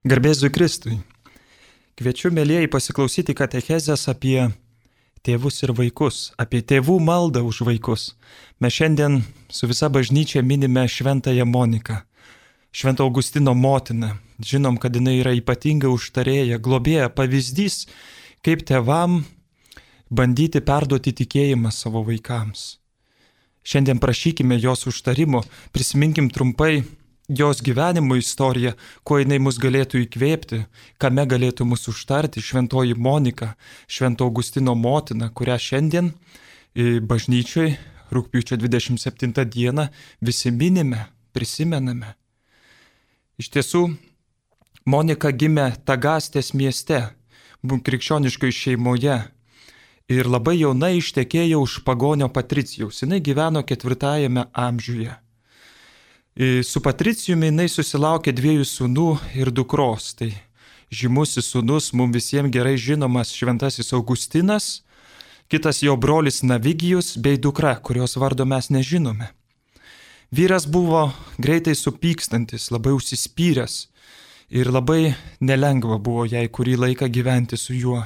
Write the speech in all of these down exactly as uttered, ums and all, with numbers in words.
Garbėzui Kristui. Kviečiu, mėlyjeji, pasiklausyti katechezės apie tėvus ir vaikus, apie tėvų maldą už vaikus. Mes šiandien su visa bažnyčia minime šventąją Moniką, Švento Augustino motiną. Žinom, kad jinai yra ypatinga užtarėja, globėja, pavyzdys, kaip tėvam bandyti perduoti tikėjimą savo vaikams. Šiandien prašykime jos užtarimo, prisiminkim trumpai jos gyvenimo istoriją, kuo jinai mus galėtų įkvėpti, kame galėtų mus užtarti šventoji Monika, Švento Augustino motina, kurią šiandien bažnyčioj rugpjūčio dvidešimt septintą dieną visi minime, prisimename. Iš tiesų, Monika gimė Tagastės mieste, krikščioniškoje šeimoje ir labai jaunai ištekėjo už pagonio Patricijaus. Jinai gyveno ketvirtajame amžiuje. Su Patricijumi jinai susilaukė dviejų sūnų ir dukros. Tai žymusis sūnus, mums visiems gerai žinomas šventasis Augustinas, kitas jo brolis Navigijus bei dukra, kurios vardo mes nežinome. Vyras buvo greitai supykstantis, labai užsispyręs ir labai nelengva buvo jai kurį laiką gyventi su juo.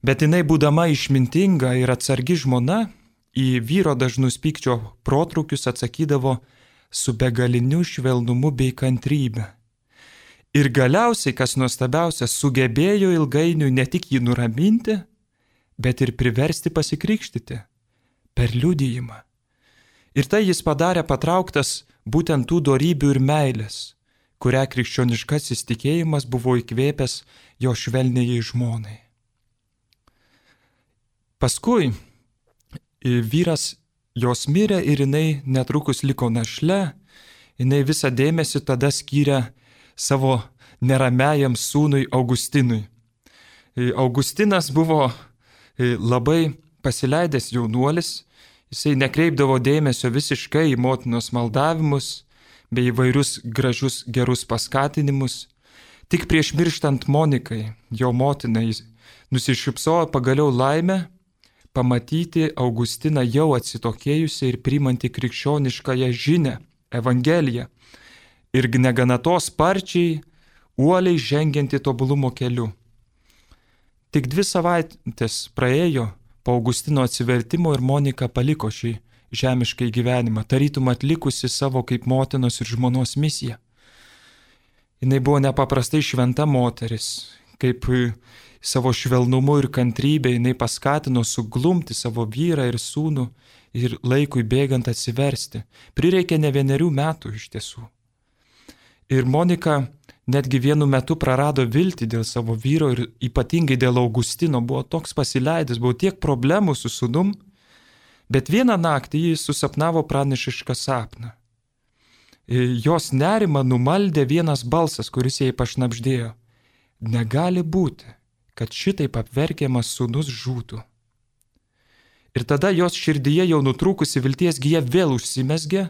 Bet jinai, būdama išmintinga ir atsargi žmona, į vyro dažnus pykčio protrukius atsakydavo su begaliniu švelnumu bei kantrybe. Ir galiausiai, kas nuostabiausia, sugebėjo ilgainiui ne tik jį nuraminti, bet ir priversti pasikrikštyti per liudijimą. Ir tai jis padarė patrauktas būtent tų dorybių ir meilės, kurią krikščioniškasis tikėjimas buvo įkvėpęs jo švelniai žmonai. Paskui vyras jos mirė ir jinai netrukus liko našle, jinai visą dėmesį tada skyrė savo neramiajam sūnui Augustinui. Augustinas buvo labai pasileidęs jaunuolis, jisai nekreipdavo dėmesio visiškai į motinos maldavimus bei įvairius gražus gerus paskatinimus. Tik prieš mirštant Monikai, jo motinai, nusišypsojo pagaliau laimę pamatyti Augustiną jau atsitokėjusią ir priimantį krikščioniškąją žinią, Evangeliją, ir negana to sparčiai, uoliai žengianti tobulumo keliu. Tik dvi savaitės praėjo po Augustino atsivertimo ir Monika paliko šį žemiškai gyvenimą, tarytum atlikusi savo kaip motinos ir žmonos misiją. Jinai buvo nepaprastai šventa moteris, kaip savo švelnumu ir kantrybė jinai paskatino suglumti savo vyrą ir sūnų ir laikui bėgant atsiversti. Prireikė ne vienerių metų iš tiesų. Ir Monika netgi vienu metu prarado viltį dėl savo vyro ir ypatingai dėl Augustino, buvo toks pasileidęs, buvo tiek problemų su sūnum, bet vieną naktį jis susapnavo pranašišką sapną. Jos nerimą numaldė vienas balsas, kuris jai pašnabždėjo: negali būti, kad šitaip apverkiamas sūnus žūtų. Ir tada jos širdyje jau nutrūkusi vilties gija vėl užsimezgė.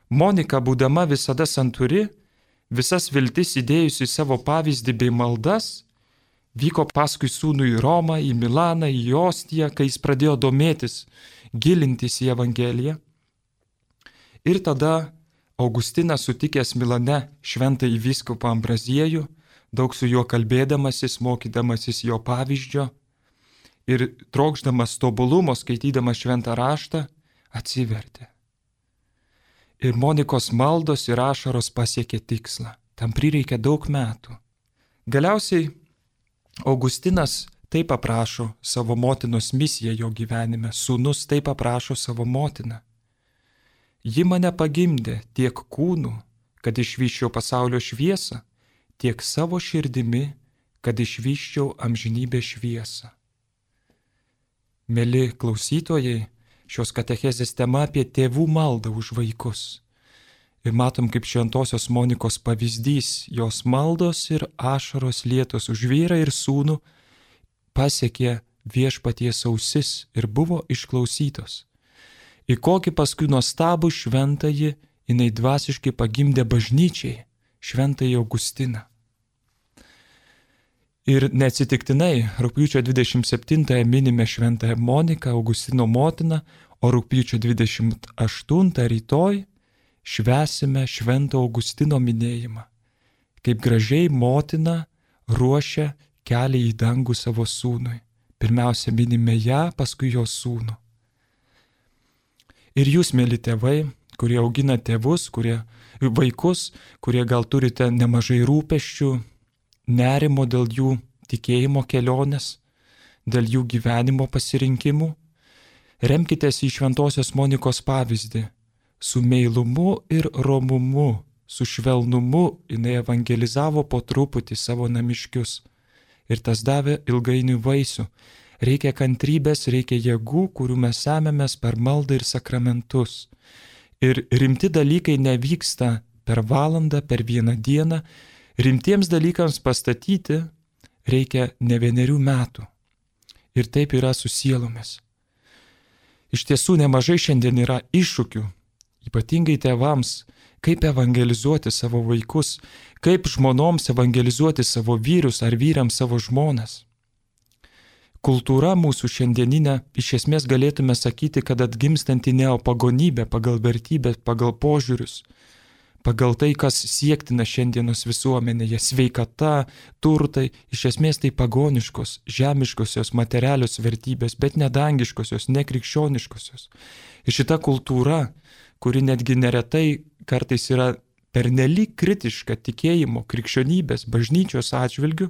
Monika, būdama visada santūri, visas viltis įdėjusi į savo pavyzdį bei maldas, vyko paskui sūnų į Romą, į Milaną, į Ostiją, kai jis pradėjo domėtis, gilintis į Evangeliją. Ir tada Augustinas, sutikęs Milane šventąjį vyskupą Ambraziejų, daug su juo kalbėdamasis, mokydamasis jo pavyzdžio ir trokšdamas tobulumo, skaitydamas šventą raštą, atsivertė. Ir Monikos maldos ir ašaros pasiekė tikslą. Tam prireikė daug metų. Galiausiai Augustinas taip aprašo savo motinos misiją jo gyvenime, sūnus taip aprašo savo motiną. Ji mane pagimdė tiek kūnu, kad išvyščiau pasaulio šviesą, tiek savo širdimi, kad išvyščiau amžinybės šviesą. Mėly klausytojai, šios katechezės tema apie tėvų maldą už vaikus. Ir matom, kaip šventosios Monikos pavyzdys, jos maldos ir ašaros lietos už vyrą ir sūnų pasiekė viešpaties ausis ir buvo išklausytos. Į kokį paskui nuostabų šventąjį jinai dvasiškai pagimdė bažnyčiai, šventąjį Augustiną. Ir neatsitiktinai rugpjūčio dvidešimt septintąją minime šventąją Moniką, Augustino motiną, o rugpjūčio dvidešimt aštuntą rytoj švęsime švento Augustino minėjimą. kaip gražiai motina ruošia kelią į dangų savo sūnui. Pirmiausia, minime ją, paskui jos sūnų. Ir jūs, mėly tėvai, kurie augina tėvus, kurie, vaikus, kurie gal turite nemažai rūpesčių, nerimo dėl jų tikėjimo kelionės, dėl jų gyvenimo pasirinkimų, remkitės į Šventosios Monikos pavyzdį. Su meilumu ir romumu, su švelnumu jinai evangelizavo po truputį savo namiškius. Ir tas davė ilgainiui vaisių. Reikia kantrybės, reikia jėgų, kurių mes semėmės per maldą ir sakramentus. Ir rimti dalykai nevyksta per valandą, per vieną dieną. Rimtiems dalykams pastatyti reikia ne vienerių metų. Ir taip yra su sielomis. Iš tiesų nemažai šiandien yra iššūkių, ypatingai tėvams, kaip evangelizuoti savo vaikus, kaip žmonoms evangelizuoti savo vyrus ar vyrams savo žmonas. Kultūra mūsų šiandieninė, iš esmės galėtume sakyti, kad atgimstanti neopagonybė pagal vertybės, pagal požiūrius, pagal tai, kas siektina šiandienos visuomenėje, sveikata, turtai, iš esmės tai pagoniškos, žemiškosios, materialios vertybės, bet nedangiškosios, nekrikščioniškosios. Ir šita kultūra, kuri netgi neretai kartais yra pernelyg kritiška tikėjimo, krikščionybės, bažnyčios atžvilgių,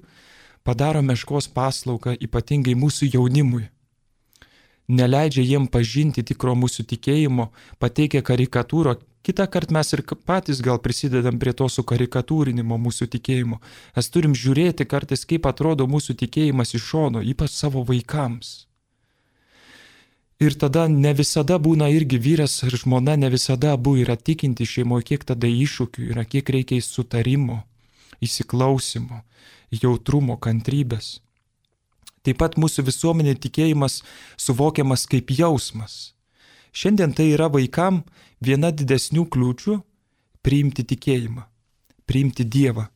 padaro meškos paslaugą ypatingai mūsų jaunimui. Neleidžia jiem pažinti tikro mūsų tikėjimo, pateikia karikatūrą. Kitą kartą mes ir patys gal prisidedam prie to sukarikatūrinimo mūsų tikėjimo. Mes turim žiūrėti kartais, kaip atrodo mūsų tikėjimas iš šono, ypač savo vaikams. Ir tada ne visada būna irgi vyras ir žmona, ne visada abu yra tikinti šeimoje, kiek tada iššūkių yra, kiek reikia sutarimo, įsiklausimo, jautrumo, kantrybės. Taip pat mūsų visuomenė tikėjimas suvokiamas kaip jausmas. Šiandien tai yra vaikam viena didesnių kliūčių priimti tikėjimą, priimti Dievą.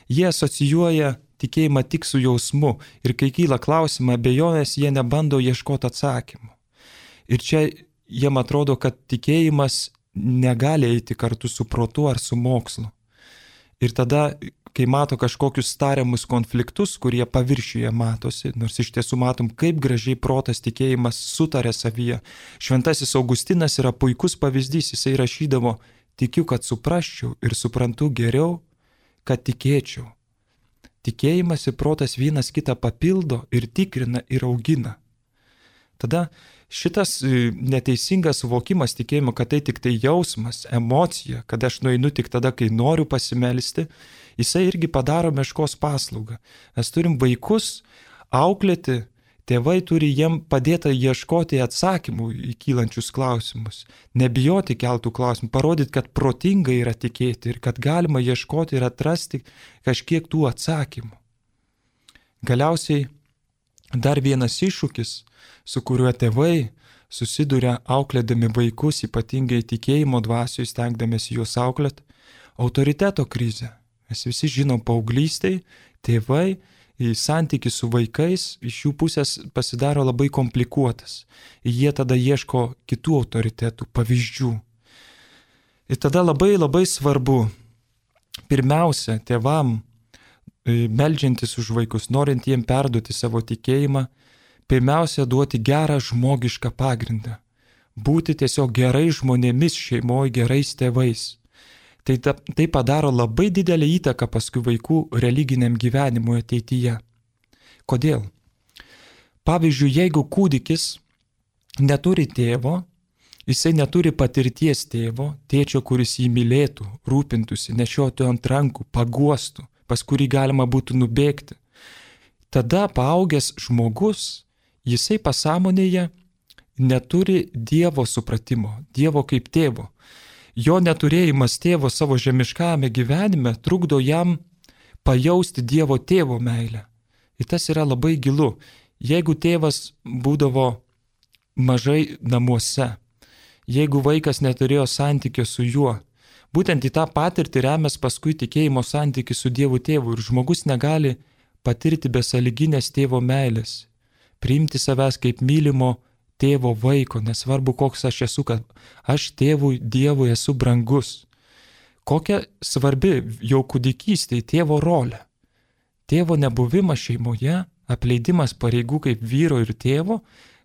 Jie asocijuoja tikėjimą tik su jausmu ir kai kyla klausimą, abejonės, jie nebando ieškoti atsakymų. Ir čia jiem atrodo, kad tikėjimas negali eiti kartu su protu ar su mokslu. Ir tada, kai mato kažkokius tariamus konfliktus, kurie paviršiuje matosi, nors iš tiesų matom, kaip gražiai protas tikėjimas sutarė savyje. Šventasis Augustinas yra puikus pavyzdys, jisai rašydavo, tikiu, kad suprasčiau ir suprantu geriau, kad tikėčiau. Tikėjimas ir protas vienas kitą papildo ir tikrina ir augina. Tada šitas neteisingas suvokimas tikėjimo, kad tai tik tai jausmas, emocija, kad aš nueinu tik tada, kai noriu pasimelsti, jisai irgi padaro meškos paslaugą. Mes turim vaikus auklėti, tėvai turi jiem padėti ieškoti atsakymų į kylančius klausimus, nebijoti keltų klausimų, parodyti, kad protingai yra tikėti ir kad galima ieškoti ir atrasti kažkiek tų atsakymų. Galiausiai dar vienas iššūkis, su kuriuo tėvai susiduria auklėdami vaikus, ypatingai tikėjimo dvasioje, stengdamėsi juos auklėt, autoriteto krizė. Mes visi žinom, paauglystėj tėvai į santykį su vaikais iš jų pusės pasidaro labai komplikuotas. Jie tada ieško kitų autoritetų, pavyzdžių. Ir tada labai labai svarbu, pirmiausia, tėvam, meldžiantis už vaikus, norint jiem perduoti savo tikėjimą, pirmiausia, duoti gerą žmogišką pagrindą. Būti tiesiog gerai žmonėmis šeimoje, gerais tėvais. Tai, ta, tai padaro labai didelę įtaką paskui vaikų religiniam gyvenimui ateityje. Kodėl? Pavyzdžiui, jeigu kūdikis neturi tėvo, jisai neturi patirties tėvo, tėčio, kuris jį mylėtų, rūpintųsi, nešiotų ant rankų, paguostų, pas kurį galima būtų nubėgti. Tada paaugęs žmogus, jisai pasąmonėje neturi Dievo supratimo, Dievo kaip tėvo. Jo neturėjimas tėvo savo žemiškame gyvenime trukdo jam pajausti Dievo tėvo meilę. Ir tas yra labai gilu. Jeigu tėvas būdavo mažai namuose, jeigu vaikas neturėjo santykio su juo, būtent į tą patirtį remės paskui tikėjimo santykį su Dievu tėvu ir žmogus negali patirti besąlyginės tėvo meilės, priimti savęs kaip mylimo tėvo vaiko, nesvarbu koks aš esu, kad aš tėvui Dievui esu brangus. Kokia svarbi jau kūdikystėje tėvo rolė. Tėvo nebuvimas šeimoje, apleidimas pareigų kaip vyro ir tėvo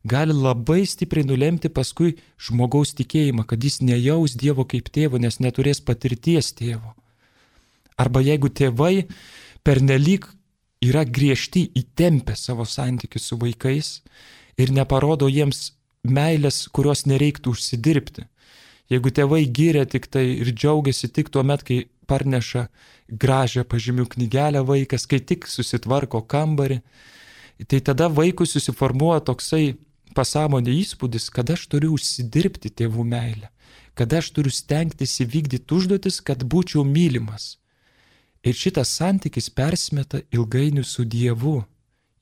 gali labai stipriai nulemti paskui žmogaus tikėjimą, kad jis nejaus Dievo kaip tėvo, nes neturės patirties tėvo. Arba jeigu tėvai pernelyg yra griežti, įtempę savo santykius su vaikais ir neparodo jiems meilės, kurios nereiktų užsidirbti. Jeigu tėvai giria tik tai ir džiaugiasi tik tuo met, kai parneša gražią pažymių knygelę vaikas, kai tik susitvarko kambarį, tai tada vaikui susiformuoja toksai pasąmonė įspūdis, kad aš turiu užsidirbti tėvų meilę, kad aš turiu stengtis įvykdyti užduotis, kad būčiau mylimas. Ir šitas santykis persimeta ilgainiui su Dievu,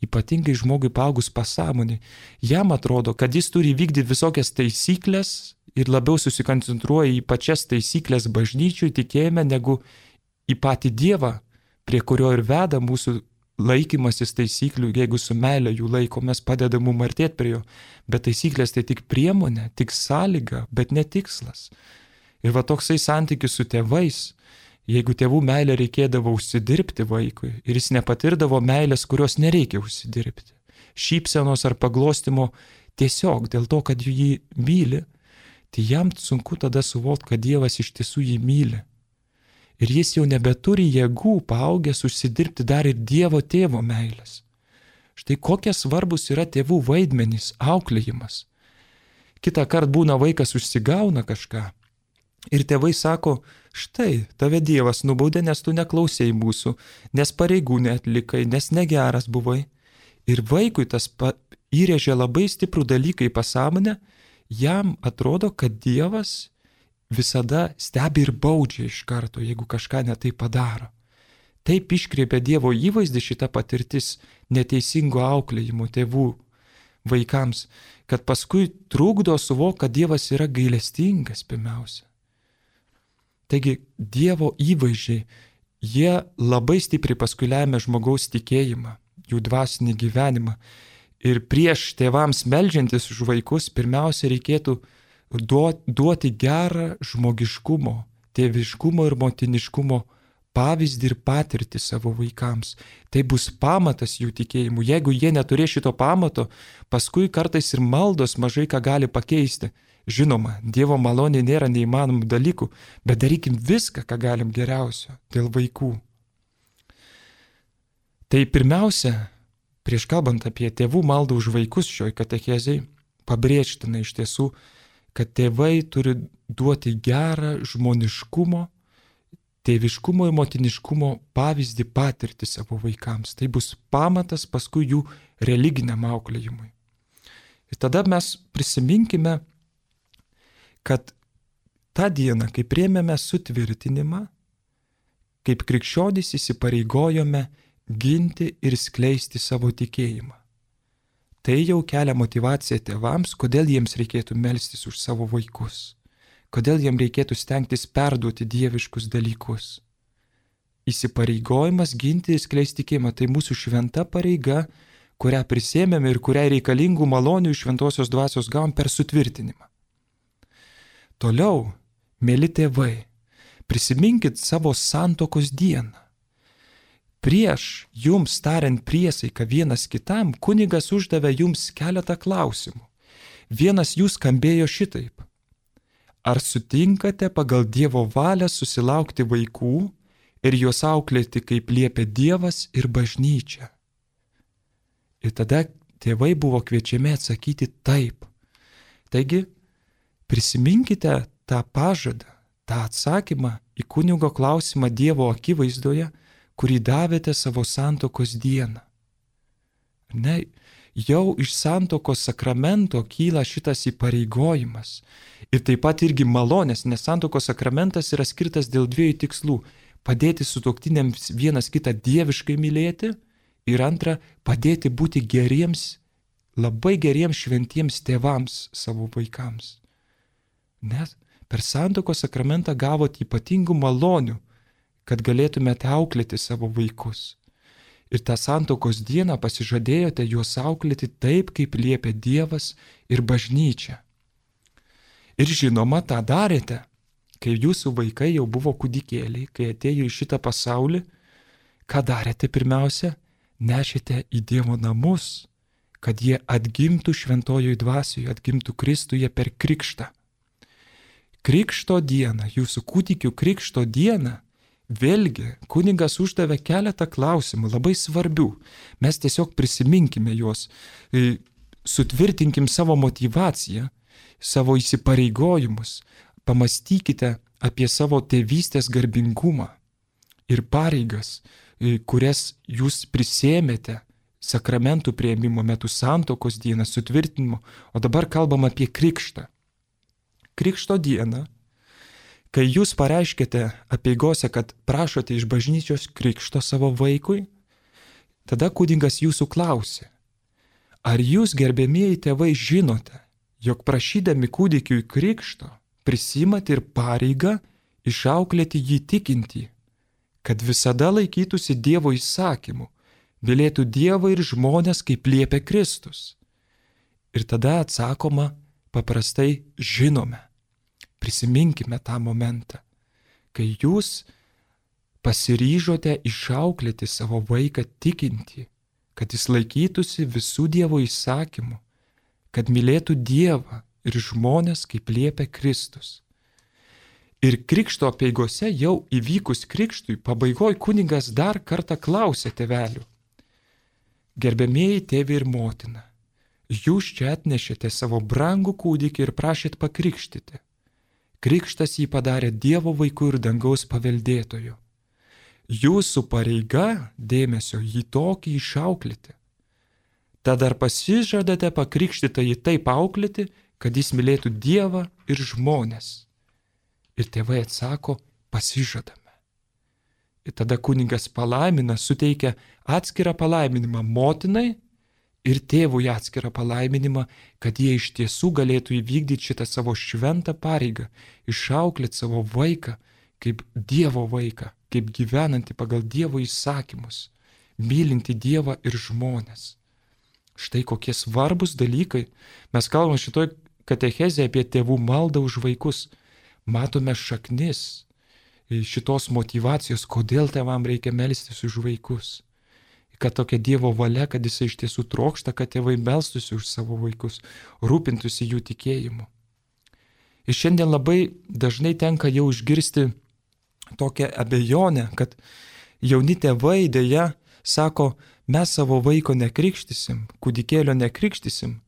ypatingai žmogui paaugus pasąmonį. Jam atrodo, kad jis turi vykdyti visokias taisyklės ir labiau susikoncentruoja į pačias taisyklės bažnyčių tikėjime, negu į patį Dievą, prie kurio ir veda mūsų laikymasis taisyklių, jeigu su meile jų laikomės, padeda mum artėti prie jo. Bet taisyklės tai tik priemonė, tik sąlyga, bet ne tikslas. Ir va toksai santykis su tėvais, jeigu tėvų meilę reikėdavo užsidirbti vaikui ir jis nepatirdavo meilės, kurios nereikia užsidirbti, šypsenos ar paglostimo tiesiog dėl to, kad jį myli, tai jam sunku tada suvokti, kad Dievas iš tiesų jį myli. Ir jis jau nebeturi jėgų paaugęs užsidirbti dar ir Dievo tėvo meilės. Štai kokie svarbus yra tėvų vaidmenys, auklėjimas. Kitą kartą būna vaikas užsigauna kažką ir tėvai sako, štai tave Dievas nubaudė, nes tu neklausėjai mūsų, nes pareigų neatlikai, nes negeras buvai. Ir vaikui tas pa, įrėžia labai stiprų dalyką į pasąmonę, jam atrodo, kad Dievas visada stebi ir baudžia iš karto, jeigu kažką netai padaro. Taip iškreipia Dievo įvaizdį šita patirtis neteisingo auklėjimo tėvų vaikams, kad paskui trukdo suvokti, kad Dievas yra gailestingas pirmiausia. Taigi Dievo įvaizdžiai, jie labai stipriai paskui lemia žmogaus tikėjimą, jų dvasinį gyvenimą. Ir prieš tėvams meldžiantis už vaikus pirmiausia reikėtų duoti gerą žmogiškumo, tėviškumo ir motiniškumo pavyzdį ir patirtį savo vaikams. Tai bus pamatas jų tikėjimų. Jeigu jie neturės šito pamato, paskui kartais ir maldos mažai ką gali pakeisti. Žinoma, Dievo malonė nėra neįmanomų dalykų, bet darykim viską, ką galim geriausio dėl vaikų. Tai pirmiausia, prieš kalbant apie tėvų maldą už vaikus šioj katechezei, pabrėžtina iš tiesų, kad tėvai turi duoti gerą žmoniškumo, tėviškumo ir motiniškumo pavyzdį patirti savo vaikams. Tai bus pamatas paskui jų religiniam auklėjimui. Ir tada mes prisiminkime, kad tą dieną, kai priėmėme sutvirtinimą, kaip krikščionys įsipareigojome ginti ir skleisti savo tikėjimą. Tai jau kelia motyvaciją tėvams, kodėl jiems reikėtų melstis už savo vaikus, kodėl jiems reikėtų stengtis perduoti dieviškus dalykus. Įsipareigojimas ginti ir skleisti tikėjimą tai mūsų šventa pareiga, kurią prisėmėme ir kuriai reikalingų malonių iš šventosios dvasios gavom per sutvirtinimą. Toliau, mėly tėvai, prisiminkit savo santuokos dieną. Prieš jums tariant priesaiką vienas kitam, kunigas uždavė jums keletą klausimų. Vienas jų skambėjo šitaip. Ar sutinkate pagal Dievo valią susilaukti vaikų ir juos auklėti, kaip liepia Dievas ir bažnyčia? Ir tada tėvai buvo kviečiami atsakyti taip. Taigi, prisiminkite tą pažadą, tą atsakymą į kunigo klausimą Dievo akivaizdoje, kurį davėte savo santuokos dieną. Ne, jau iš santuokos sakramento kyla šitas įpareigojimas. Ir taip pat irgi malonės, nes santuokos sakramentas yra skirtas dėl dviejų tikslų. Padėti sutuoktiniams vienas kitą dieviškai mylėti ir antra, padėti būti geriems, labai geriems šventiems tėvams savo vaikams. Nes per santuokos sakramentą gavote ypatingų malonių, kad galėtumėte auklėti savo vaikus. Ir tą santuokos dieną pasižadėjote juos auklėti taip, kaip liepia Dievas ir bažnyčia. Ir žinoma, tą darėte. kai jūsų vaikai jau buvo kūdikėliai, kai atėjo į šitą pasaulį, ką darėte pirmiausia? Nešėte į Dievo namus, kad jie atgimtų šventojoj dvasioje, atgimtų Kristuje per krikštą. Krikšto dieną, jūsų kūdikių krikšto dieną, vėlgi kunigas uždavė keletą klausimų, labai svarbių. Mes tiesiog prisiminkime juos, sutvirtinkim savo motivaciją, savo įsipareigojimus, pamastykite apie savo tėvystės garbingumą ir pareigas, kurias jūs prisėmėte sakramentų priėmimo metu, santuokos dieną, sutvirtinimo, o dabar kalbam apie krikštą. Krikšto dieną, kai jūs pareiškėte apeigose, kad prašote iš bažnyčios krikšto savo vaikui, tada kunigas jūsų klausė, ar jūs, gerbėmieji tėvai, žinote, jog prašydami kūdikiui krikšto prisimat ir pareigą išauklėti jį tikintį, kad visada laikytųsi Dievo įsakymų, mylėtų Dievą ir žmones, kaip liepia Kristus. Ir tada atsakoma paprastai žinome. Prisiminkime tą momentą, kai jūs pasiryžote išauklėti savo vaiką tikintį, kad jis laikytųsi visų Dievo įsakymų, kad mylėtų Dievą ir žmones, kaip liepia Kristus. Ir krikšto apeigose jau įvykus krikštui, pabaigoj kunigas dar kartą klausė tėvelių. Gerbėmieji tėvi ir motina, jūs čia atnešėte savo brangų kūdikį ir prašėt pakrikštyti. Krikštas jį padarė Dievo vaikų ir dangaus paveldėtojų. Jūsų pareiga dėmesio jį tokį išauklėti. Tad ar pasižadate pakrikštytą jį taip auklėti, kad jis mylėtų Dievą ir žmones? Ir tėvai atsako, pasižadame. Ir tada kunigas palaimina, suteikia atskirą palaiminimą motinai ir tėvui atskirą palaiminimą, kad jie iš tiesų galėtų įvykdyti šitą savo šventą pareigą, išauklėti savo vaiką kaip Dievo vaiką, kaip gyvenantį pagal Dievo įsakymus, mylinti Dievą ir žmones. Štai kokie svarbus dalykai. Mes kalbame šitoj katechezėje apie tėvų maldą už vaikus. Matome šaknis šitos motyvacijos, kodėl tėvam reikia melstis už vaikus. Kad tokia Dievo valia, kad jisai iš tiesų trokšta, kad tėvai melstųsi už savo vaikus, rūpintųsi jų tikėjimu. Ir šiandien labai dažnai tenka jau išgirsti tokią abejonę, kad jauni tėvai dėja sako, mes savo vaiko nekrikštysim, kūdikėlio nekrikštysim,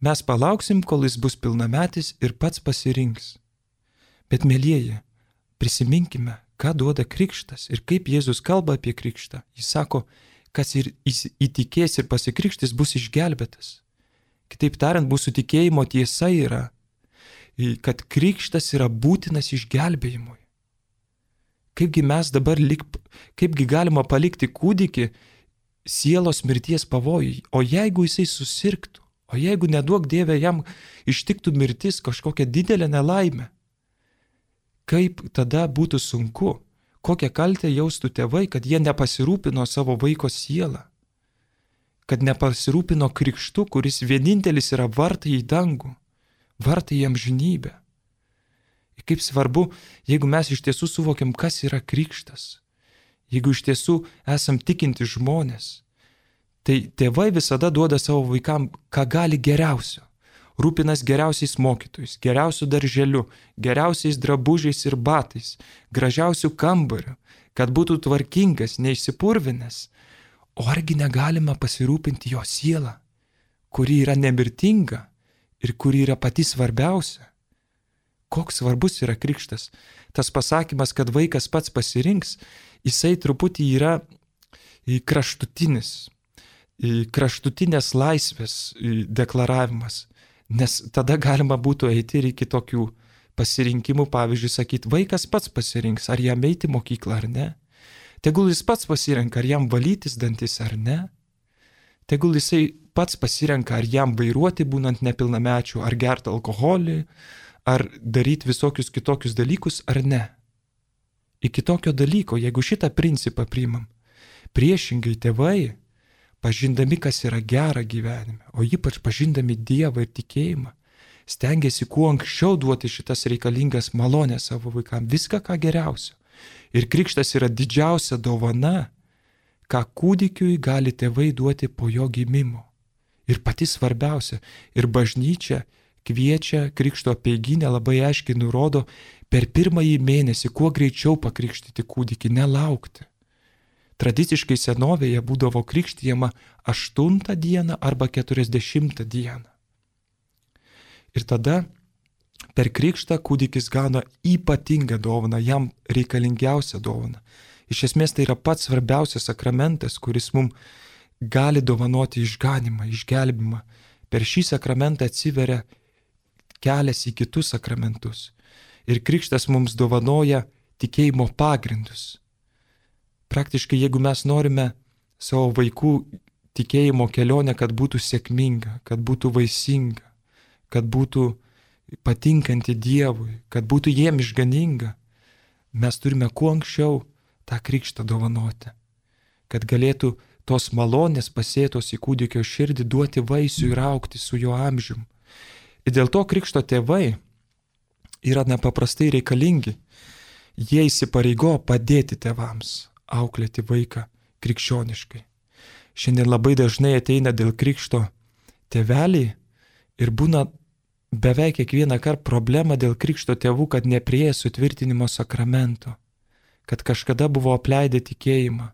mes palauksim, kol jis bus pilnametis ir pats pasirinks. Bet mielieji, prisiminkime, ką duoda krikštas ir kaip Jėzus kalba apie krikštą. Jis sako, kas ir įtikės ir pasikrikštis bus išgelbėtas. Kitaip tariant, mūsų tikėjimo tiesa yra, kad krikštas yra būtinas išgelbėjimui. Kaipgi mes dabar, lik, kaipgi galima palikti kūdikį sielos mirties pavojui, o jeigu jisai susirgtų, o jeigu neduok Dieve jam ištiktų mirtis kažkokią didelę nelaimę, kaip tada būtų sunku, kokią kaltę jaustų tėvai, kad jie nepasirūpino savo vaiko sielą, kad nepasirūpino krikštu, kuris vienintelis yra vartai į dangų, vartai į amžinybę. Ir kaip svarbu, jeigu mes iš tiesų suvokiam, kas yra krikštas, jeigu iš tiesų esam tikinti žmonės, tai tėvai visada duoda savo vaikam, ką gali geriausio. Rūpinas geriausiais mokytojais, geriausių darželiu, geriausiais drabužiais ir batais, gražiausių kambarių, kad būtų tvarkingas, neišsipurvinęs. O argi negalima pasirūpinti jo sielą, kuri yra nemirtinga ir kuri yra pati svarbiausia? Koks svarbus yra krikštas? Tas pasakymas, kad vaikas pats pasirinks, jisai truputį yra kraštutinis, kraštutinės laisvės deklaravimas. Nes tada galima būtų eiti ir iki tokių pasirinkimų, pavyzdžiui, sakyti, vaikas pats pasirinks, ar jam eiti į mokyklą ar ne. Tegul jis pats pasirenka, ar jam valytis dantis ar ne. Tegul jisai pats pasirenka, ar jam vairuoti būnant nepilnamečiu, ar gerti alkoholį, ar daryti visokius kitokius dalykus ar ne. Iki tokio dalyko, jeigu šitą principą priimam, priešingai tėvai, pažindami, kas yra gera gyvenime, o ypač pažindami Dievą ir tikėjimą, stengiasi kuo anksčiau duoti šitas reikalingas malonės savo vaikams, viską ką geriausio. Ir krikštas yra didžiausia dovana, ką kūdikiui gali tėvai duoti po jo gimimo. Ir pati svarbiausia, ir bažnyčia kviečia krikšto apeiginę labai aiškiai nurodo per pirmąjį mėnesį kuo greičiau pakrikštyti kūdikį, nelaukti. Tradiciškai senovėje būdavo krikštijama aštuntą dieną arba keturiasdešimtą dieną. Ir tada per krikštą kūdikis gauna ypatingą dovaną, jam reikalingiausią dovaną. Iš esmės tai yra pats svarbiausias sakramentas, kuris mums gali dovanoti išganimą, išgelbimą. Per šį sakramentą atsiveria kelias į kitus sakramentus. Ir krikštas mums dovanoja tikėjimo pagrindus. Praktiškai, jeigu mes norime savo vaikų tikėjimo kelionę, kad būtų sėkminga, kad būtų vaisinga, kad būtų patinkanti Dievui, kad būtų jiem išganinga, mes turime kuo anksčiau tą krikštą dovanoti, kad galėtų tos malonės pasėtos į kūdikio širdį duoti vaisių ir augti su jo amžium. Ir dėl to krikšto tėvai yra nepaprastai reikalingi. Jie įsipareigo padėti tėvams auklėti vaiką krikščioniškai. Šiandien labai dažnai ateina dėl krikšto tėveliai ir būna beveik kiekvieną kartą problema dėl krikšto tėvų, kad neprieė sutvirtinimo sakramento, kad kažkada buvo apleidę tikėjimą,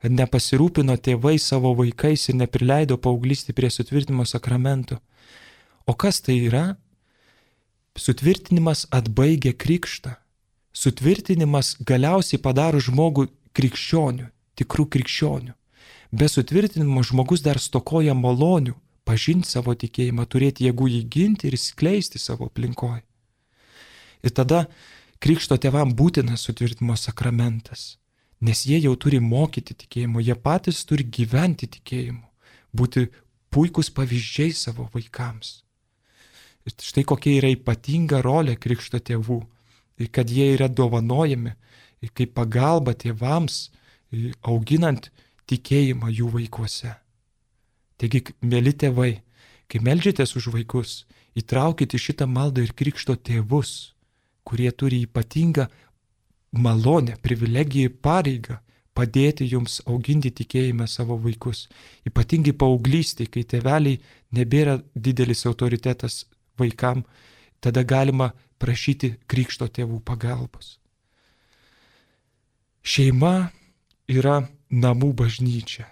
kad nepasirūpino tėvai savo vaikais ir neprileido paauglystį prie sutvirtinimo sakramento. O kas tai yra? Sutvirtinimas atbaigia krikštą. Sutvirtinimas galiausiai padaro žmogų krikščionių, tikrų krikščionių. Be sutvirtinimo žmogus dar stokoja malonių, pažinti savo tikėjimą, turėti jėgų jį ginti ir skleisti savo aplinkoje. Ir tada krikšto tėvam būtinas sutvirtinimo sakramentas, nes jie jau turi mokyti tikėjimo, jie patys turi gyventi tikėjimu, būti puikūs pavyzdžiai savo vaikams. Ir štai kokia yra ypatinga rolė krikšto tėvų, ir kad jie yra dovanojami kaip pagalba tėvams, auginant tikėjimą jų vaikuose. Taigi, mėly tėvai, kai meldžiatės už vaikus, įtraukite šitą maldą ir krikšto tėvus, kurie turi ypatingą malonę, privilegiją ir pareigą padėti jums auginti tikėjimą savo vaikus. Ypatingai paauglystėje, kai tėveliai nebėra didelis autoritetas vaikam, tada galima prašyti krikšto tėvų pagalbos. Šeima yra namų bažnyčia.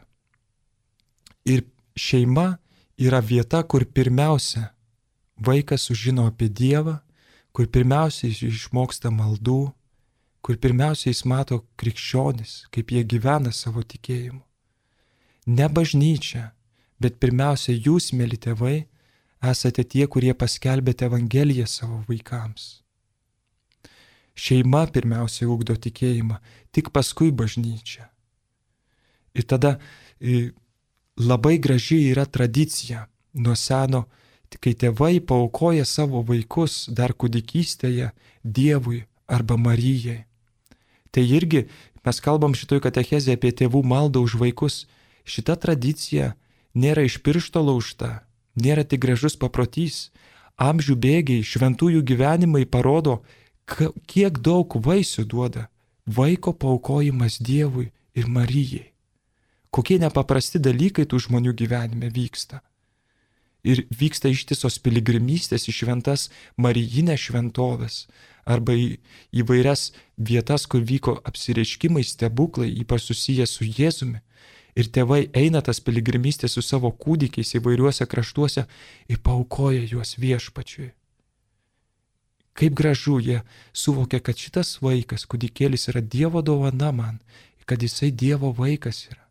Ir šeima yra vieta, kur pirmiausia vaikas sužino apie Dievą, kur pirmiausia jis išmoksta maldų, kur pirmiausia jis mato krikščionis, kaip jie gyvena savo tikėjimu. Ne bažnyčia, bet pirmiausia jūs, mėly tėvai, esate tie, kurie paskelbėte Evangeliją savo vaikams. Šeima pirmiausia ugdo tikėjimą, tik paskui bažnyčia. Ir tada labai graži yra tradicija nuo seno, kai tėvai paaukoja savo vaikus dar kūdikystėje Dievui arba Marijai. Tai irgi mes kalbam šitoj katechezėje apie tėvų maldą už vaikus. Šita tradicija nėra iš piršto laužta, nėra tik gražus paprotys. Amžių bėgiai, šventųjų gyvenimai parodo, kiek daug vaisių duoda vaiko paaukojimas Dievui ir Marijai. Kokie nepaprasti dalykai tų žmonių gyvenime vyksta. Ir vyksta ištisos piligrimystės į šventas Marijinės šventovės arba į įvairias vietas, kur vyko apsireiškimai, stebuklai, ypač susiję su Jėzumi. Ir tėvai eina tas piligrimystės su savo kūdikiais įvairiuose kraštuose ir paaukoja juos viešpačiui. Kaip gražu, jie suvokia, kad šitas vaikas, kūdikėlis, yra Dievo dovana man, kad jisai Dievo vaikas yra.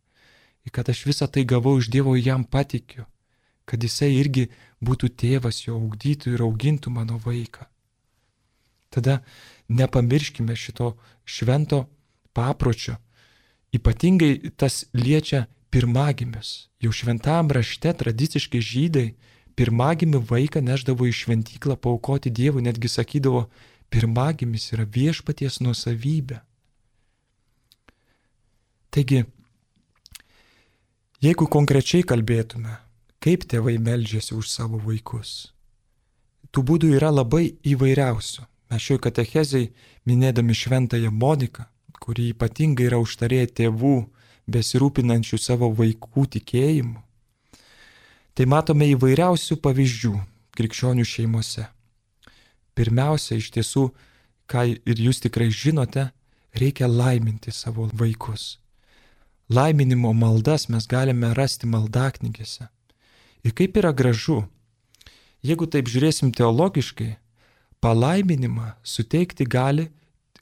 Ir kad aš visą tai gavau iš Dievo ir jam patikiu. Kad jisai irgi būtų tėvas, jo ugdytų ir augintų mano vaiką. Tada nepamirškime šito švento papročio. Ypatingai tas liečia pirmagimius. Jau šventam rašte tradiciškai žydai pirmagimį vaiką neždavo į šventyklą paaukoti Dievui, netgi sakydavo, pirmagimis yra viešpaties nuosavybė. Taigi, jeigu konkrečiai kalbėtume, kaip tėvai meldžiasi už savo vaikus, tų būdų yra labai įvairiausių. Mes šioj katechezei, minėdami šventąją Moniką, kuri ypatingai yra užtarėja tėvų, besirūpinančių savo vaikų tikėjimu, tai matome įvairiausių pavyzdžių krikščionių šeimose. Pirmiausia, iš tiesų, ką ir jūs tikrai žinote, reikia laiminti savo vaikus. Laiminimo maldas mes galime rasti maldaknygėse. Ir kaip yra gražu, jeigu taip žiūrėsim teologiškai, palaiminimą suteikti gali,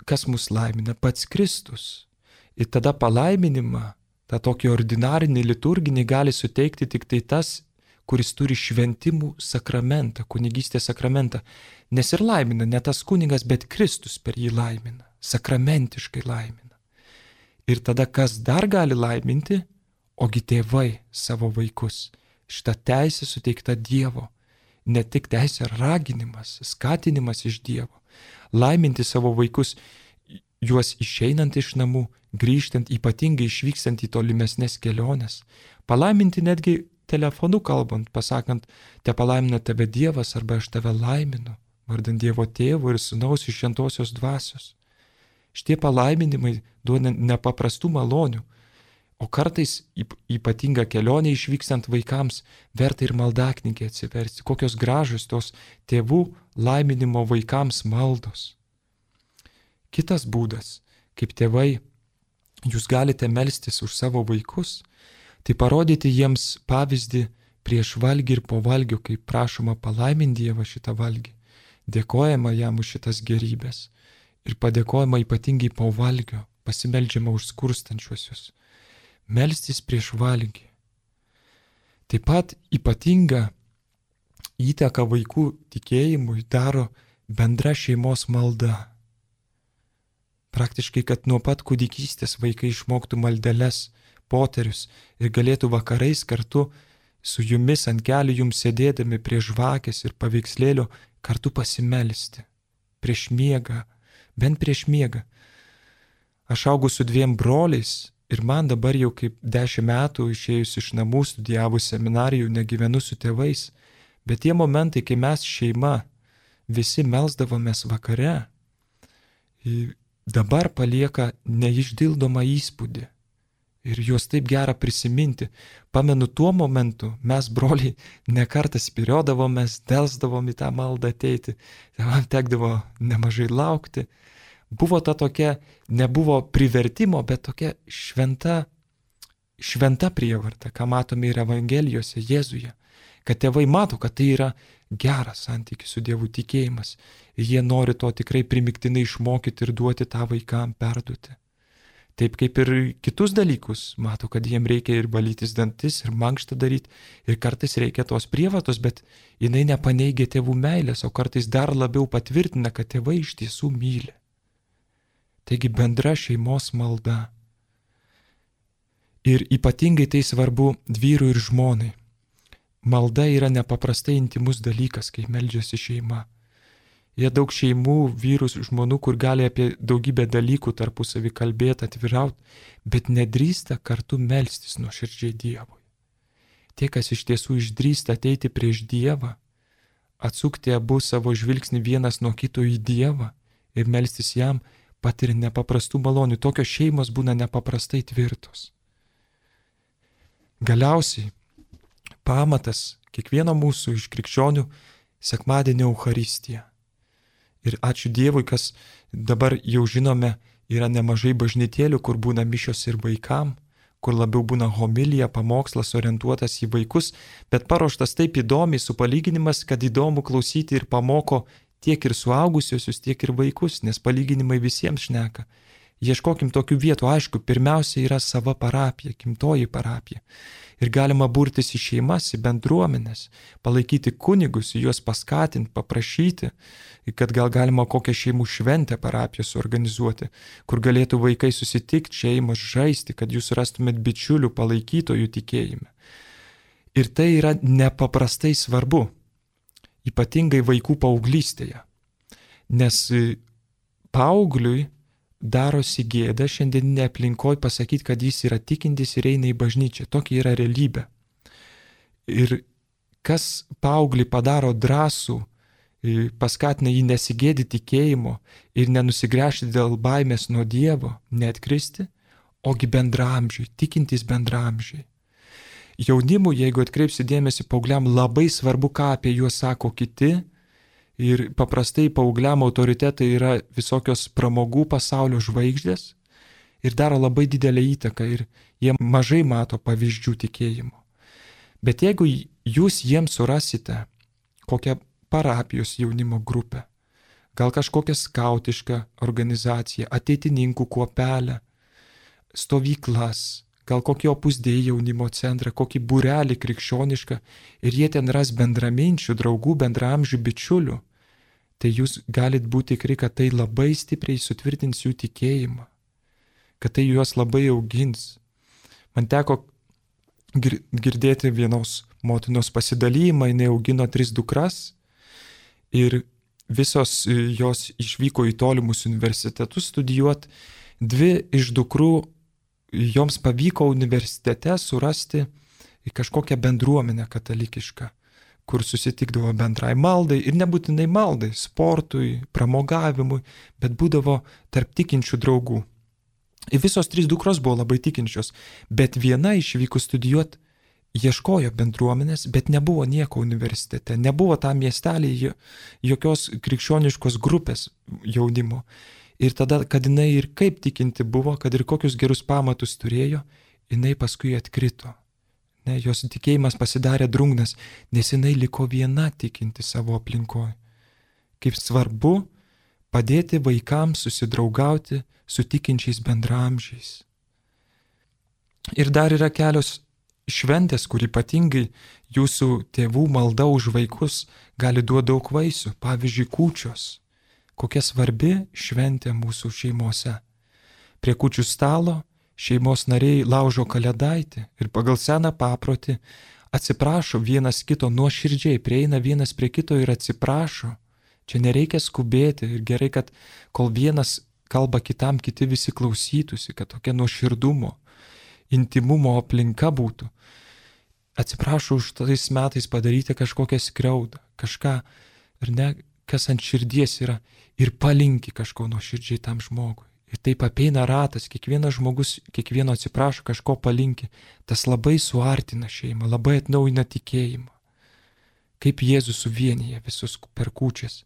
kas mus laimina, pats Kristus. Ir tada palaiminimą, tą tokį ordinarinį, liturginį gali suteikti tik tai tas, kuris turi šventimų sakramentą, kunigystės sakramentą. Nes ir laimina ne tas kunigas, bet Kristus per jį laimina, sakramentiškai laimina. Ir tada kas dar gali laiminti, ogi tėvai savo vaikus. Šitą teisę suteikta Dievo. Ne tik teisė, raginimas, skatinimas iš Dievo. Laiminti savo vaikus, juos išeinant iš namų, grįžtant, ypatingai išvykstant į tolimesnės keliones. Palaiminti netgi telefonu kalbant, pasakant, te palaimina tave Dievas arba aš tave laiminu, vardant Dievo Tėvo ir Sūnaus ir Šventosios Dvasios. Šitie palaiminimai duoda nepaprastų malonių. O kartais ypatinga kelionė išvykstant vaikams verta ir maldaknygę atsiversti. Kokios gražios tos tėvų laiminimo vaikams maldos. Kitas būdas, kaip tėvai, jūs galite melstis už savo vaikus, tai parodyti jiems pavyzdį prieš valgį ir po valgio, kaip prašoma palaiminti Dievą šitą valgį. Dėkojama jam už šitas gerybės ir padėkojama ypatingai po valgio, pasimeldžiama už skurstančiuosius. Melstis prieš valgį. Taip pat ypatinga įtaka vaikų tikėjimui daro bendra šeimos malda. Praktiškai, kad nuo pat kūdikystės vaikai išmoktų maldeles, poterius ir galėtų vakarais kartu su jumis ant kelių jums sėdėdami prie žvakės ir paveikslėlio kartu pasimelsti. Prieš miegą, bent prieš miegą. Aš augau su dviem broliais. Ir man dabar jau kaip dešimt metų išėjus iš namų, studijavus seminarijų, negyvenu su tėvais, bet tie momentai, kai mes šeima visi melsdavomės vakare, dabar palieka neišdildomą įspūdį. Ir juos taip gera prisiminti. Pamenu, tuo momentu mes, broliai, nekartą spiriodavomės, delsdavom į tą maldą ateiti, man tekdavo nemažai laukti. Buvo ta tokia, nebuvo privertimo, bet tokia šventa, šventa prievarta, ką matome ir Evangelijose Jėzuje, kad tėvai mato, kad tai yra geras santykis su Dievu tikėjimas ir jie nori to tikrai primiktinai išmokyti ir duoti tą vaikam perduoti. Taip kaip ir kitus dalykus, mato, kad jiem reikia ir valytis dantis, ir mankštą daryti, ir kartais reikia tos prievartos, bet jinai nepaneigia tėvų meilės, o kartais dar labiau patvirtina, kad tėvai iš tiesų myli. Taigi bendra šeimos malda. Ir ypatingai tai svarbu vyrui ir žmonai. Malda yra nepaprastai intimus dalykas, kai meldžiasi šeima. Jie daug šeimų, vyrus, žmonių, kur gali apie daugybę dalykų tarpusavį kalbėti, atvirauti, bet nedrįsta kartu melstis nuoširdžiai Dievui. Tie, kas iš tiesų išdrįsta ateiti prieš Dievą, atsukti abu savo žvilgsnį vienas nuo kito į Dievą ir melstis jam, patiria nepaprastų malonių. Tokios šeimos būna nepaprastai tvirtos. Galiausiai pamatas kiekvieno mūsų iš krikščionių sekmadienio Eucharistija. Ir ačiū Dievui, kas dabar jau žinome, yra nemažai bažnytėlių, kur būna mišios ir vaikam, kur labiau būna homilija, pamokslas orientuotas į vaikus, bet paruoštas taip įdomiai su palyginimas, kad įdomu klausyti ir pamoko tiek ir suaugusiosius, tiek ir vaikus, nes palyginimai visiems šneka. Ieškokim tokių vietų, aišku, pirmiausia yra sava parapija, gimtoji parapija. Ir galima burtis į šeimas, į bendruomenės, palaikyti kunigus, juos paskatinti, paprašyti, kad gal galima kokią šeimų šventę parapiją suorganizuoti, kur galėtų vaikai susitikti, šeimos žaisti, kad jūs rastumėt bičiulių palaikytojų tikėjime. Ir tai yra nepaprastai svarbu. Ypatingai vaikų paauglystėje, nes paaugliui darosi gėda šiandieninė aplinkoje pasakyti, kad jis yra tikintis ir eina į bažnyčią. Tokia yra realybė. Ir kas paauglį padaro drąsų paskatina jį nesigėdyti tikėjimo ir nenusigręžti dėl baimės nuo Dievo, neatkristi, ogi bendramžiai, tikintys bendramžiai. Jaunimui, jeigu atkreipsi dėmesį, paaugliam labai svarbu, ką apie juos sako kiti. Ir paprastai paaugliam autoritetai yra visokios pramogų pasaulio žvaigždės ir daro labai didelę įtaką ir jie mažai mato pavyzdžių tikėjimo. Bet jeigu jūs jiems surasite kokią parapijos jaunimo grupę, gal kažkokią skautišką organizaciją, ateitininkų kuopelę, stovyklas, gal kokį Opus Dei jaunimo centrą, kokį būrelį krikščionišką ir jie ten ras bendraminčių, draugų, bendramžių, bičiulių, tai jūs galit būti tikri, kad tai labai stipriai sutvirtins jų tikėjimą, kad tai juos labai augins. Man teko girdėti vienos motinos pasidalymą, jinai augino tris dukras ir visos jos išvyko į tolimus universitetus studijuoti. Dvi iš dukrų joms pavyko universitete surasti kažkokią bendruomenę katalikišką, kur susitikdavo bendrai maldai ir nebūtinai maldai, sportui, pramogavimui, bet būdavo tarp tikinčių draugų. Ir visos trys dukros buvo labai tikinčios, bet viena išvykus studijuoti ieškojo bendruomenės, bet nebuvo nieko universitete, nebuvo tam miestelį jokios krikščioniškos grupės jaunimo. Ir tada, kad jinai ir kaip tikinti buvo, kad ir kokius gerus pamatus turėjo, jinai paskui atkrito. Ne, jos tikėjimas pasidarė drungnas, nes jinai liko viena tikinti savo aplinkoje. Kaip svarbu padėti vaikams susidraugauti su tikinčiais bendramžiais. Ir dar yra kelios šventės, kur ypatingai jūsų tėvų malda už vaikus gali duoti daug vaisių, pavyzdžiui, kūčios. Kokia svarbi šventė mūsų šeimose. Prie kūčių stalo šeimos nariai laužo kalėdaitį ir pagal seną paprotį atsiprašo vienas kito nuoširdžiai, prieina vienas prie kito ir atsiprašo. Čia nereikia skubėti ir gerai, kad kol vienas kalba kitam, kiti visi klausytųsi, kad tokia nuoširdumo, intimumo aplinka būtų. Atsiprašau už tais metais padaryti kažkokią skriaudą, kažką, ar ne, kas ant širdies yra, ir palinki kažko nuoširdžiai tam žmogui. Ir taip apeina ratas, kiekvienas žmogus, kiekvieno atsiprašo, kažko palinki. Tas labai suartina šeimą, labai atnaujina tikėjimą. Kaip Jėzus suvienyje visus per kūčias.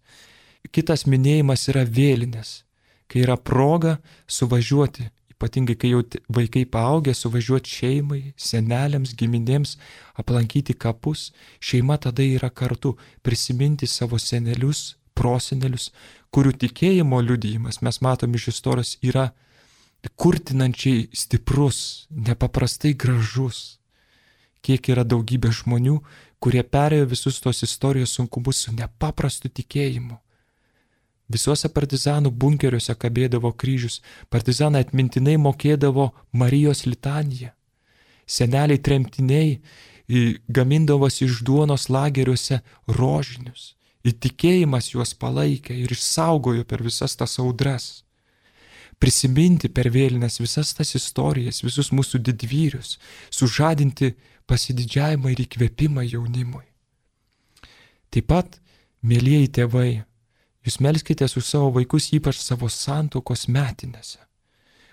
Kitas minėjimas yra vėlinės, kai yra proga suvažiuoti, ypatingai kai jau vaikai paaugę, suvažiuoti šeimai, seneliams, giminėms, aplankyti kapus. Šeima tada yra kartu, prisiminti savo senelius, prosenelius, kurių tikėjimo liudijimas, mes matom iš istorijos, yra kurtinančiai stiprus, nepaprastai gražus. Kiek yra daugybė žmonių, kurie perėjo visus tos istorijos sunkumus su nepaprastu tikėjimu. Visuose partizanų bunkeriuose kabėdavo kryžius, partizanai atmintinai mokėdavo Marijos litaniją. Seneliai tremtiniai gamindavosi iš duonos lageriuose rožinius. Ir tikėjimas juos palaikė ir išsaugojo per visas tas audras. Prisiminti per vėlines visas tas istorijas, visus mūsų didvyrius, sužadinti pasididžiavimą ir įkvėpimą jaunimui. Taip pat, mielieji tėvai, jūs melskitės už savo vaikus, ypač savo santuokos metinėse.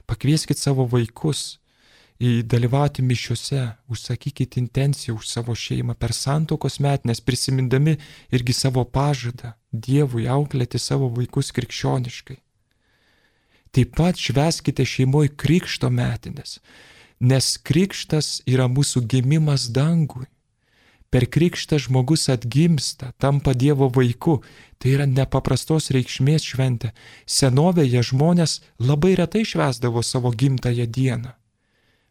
Pakvieskit savo vaikus dalyvauti mišiuose, užsakykit intenciją už savo šeimą per santuokos metinės, prisimindami irgi savo pažadą Dievui auklėti savo vaikus krikščioniškai. Taip pat švęskite šeimoje krikšto metinės, nes krikštas yra mūsų gimimas dangui. Per krikštą žmogus atgimsta, tampa Dievo vaiku, tai yra nepaprastos reikšmės šventė. Senovėje žmonės labai retai švęsdavo savo gimtąją dieną.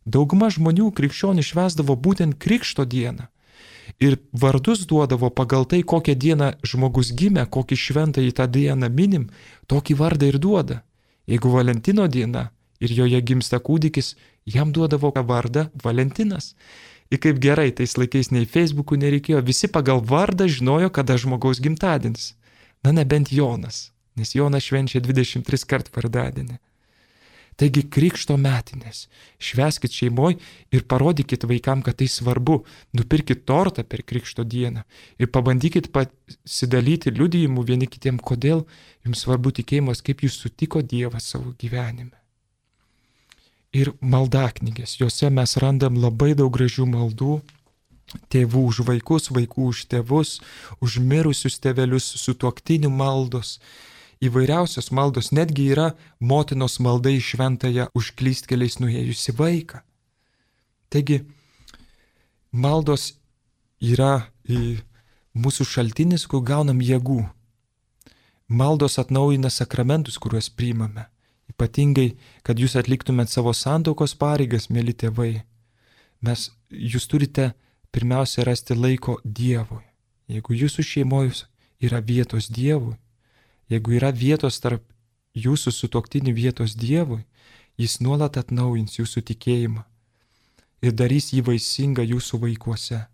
Dauguma žmonių krikščionių švęsdavo būtent krikšto dieną ir vardus duodavo pagal tai, kokią dieną žmogus gimė, kokį šventą į tą dieną minim, tokį vardą ir duoda. Jeigu Valentino diena ir joje gimsta kūdikis, jam duodavo vardą Valentinas. Ir kaip gerai, tais laikais nei Facebook'ų nereikėjo, visi pagal vardą žinojo, kada žmogaus gimtadienis. Na nebent Jonas, nes Jonas švenčia dvidešimt tris kart vardadienį. Taigi krikšto metinės. Švęskit šeimoje ir parodykit vaikam, kad tai svarbu. Nupirkit tortą per krikšto dieną ir pabandykit pasidalyti liudijimu vieni kitiem, kodėl jums svarbu tikėjimas, kaip jūs sutiko Dievą savo gyvenime. Ir maldaknygės. Jose mes randam labai daug gražių maldų. Tėvų už vaikus, vaikų už tėvus, už mirusius tėvelius, sutuoktinių maldos. Įvairiausios maldos, netgi yra motinos malda į šventąją už klystkeliais nuėjusi vaiką. Taigi, maldos yra mūsų šaltinis, kur gaunam jėgų. Maldos atnaujina sakramentus, kuriuos priimame. Ypatingai, kad jūs atliktumėt savo santuokos pareigas, mėly tėvai. Mes, jūs turite pirmiausia rasti laiko Dievui. Jeigu jūsų šeimoje yra vietos Dievui, jeigu yra vietos tarp jūsų sutuoktinių vietos Dievui, jis nuolat atnaujins jūsų tikėjimą ir darys jį vaisingą jūsų vaikuose.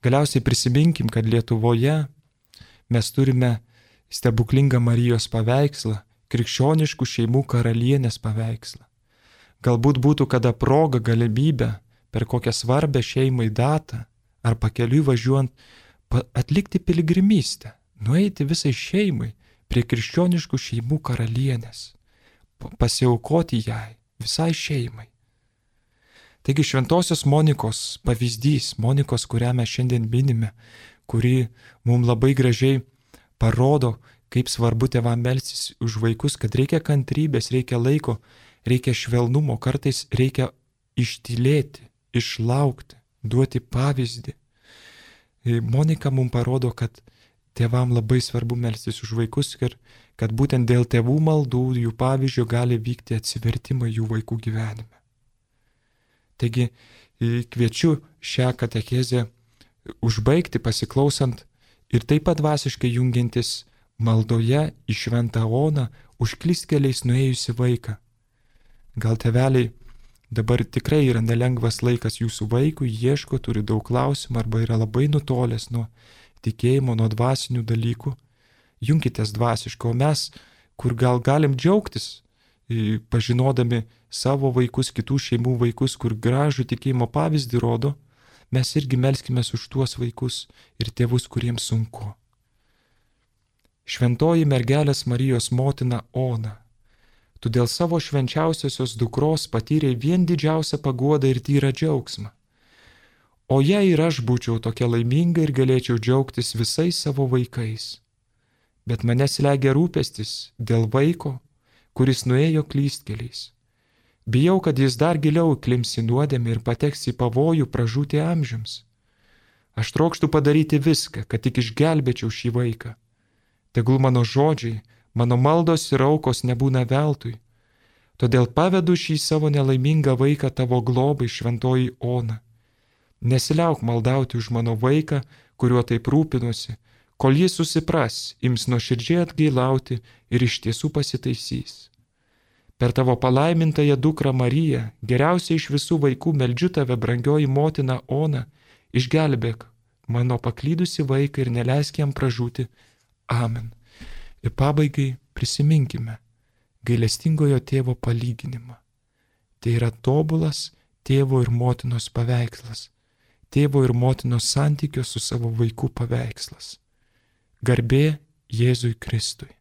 Galiausiai prisiminkim, kad Lietuvoje mes turime stebuklingą Marijos paveikslą, krikščioniškų šeimų karalienės paveikslą. Galbūt būtų kada proga, galimybė per kokią svarbę šeimai datą ar pakeliui važiuojant atlikti piligrimystę, nueiti visai šeimai prie krikščioniškų šeimų karalienės, pasiaukoti jai, visai šeimai. Taigi šventosios Monikos pavyzdys, Monikos, kurią mes šiandien minime, kuri mums labai gražiai parodo, kaip svarbu tėvam melstis už vaikus, kad reikia kantrybės, reikia laiko, reikia švelnumo, kartais reikia ištylėti, išlaukti, duoti pavyzdį. Monika mums parodo, kad tėvam labai svarbu melstis už vaikus ir kad būtent dėl tėvų maldų, jų pavyzdžio gali vykti atsivertimai jų vaikų gyvenime. Taigi kviečiu šią katechezę užbaigti pasiklausant ir taip pat dvasiškai jungiantis maldoje į šventą Oną už klystkeliais nuėjusi vaiką. Gal tėveliai dabar tikrai yra nelengvas laikas jūsų vaikui, ieško, turi daug klausimų arba yra labai nutolęs nuo tikėjimo, nuo dvasinių dalykų, junkitės dvasiškai, o mes, kur gal galim džiaugtis, pažinodami savo vaikus, kitų šeimų vaikus, kur gražų tikėjimo pavyzdį rodo, mes irgi melskimės už tuos vaikus ir tėvus, kuriems sunku. Šventoji mergelės Marijos motina Ona, tu dėl savo švenčiausiosios dukros patyrei vien didžiausią paguodą ir tyrą džiaugsmą. O jei ir aš būčiau tokia laiminga ir galėčiau džiaugtis visais savo vaikais. Bet mane slegia rūpestis dėl vaiko, kuris nuėjo klystkeliais. Bijau, kad jis dar giliau įklimps į nuodėmę ir pateks į pavojų pražūti amžiams. Aš trokštu padaryti viską, kad tik išgelbėčiau šį vaiką. Tegul mano žodžiai, mano maldos ir aukos nebūna veltui. Todėl pavedu šį savo nelaimingą vaiką tavo globai, šventoji Ona. Nesiliauk maldauti už mano vaiką, kuriuo taip rūpinuosi, kol jis susipras, ims nuoširdžiai atgailauti ir iš tiesų pasitaisys. Per tavo palaimintąją dukrą Mariją, geriausiai iš visų vaikų meldžiu tave, brangioji motina Ona, išgelbėk mano paklydusi vaiką ir neleisk jam pražūti. Amen. Ir pabaigai prisiminkime gailestingojo tėvo palyginimą. Tai yra tobulas tėvo ir motinos paveikslas. Tėvo ir motinos santykio su savo vaiku paveikslas. Garbė Jėzui Kristui.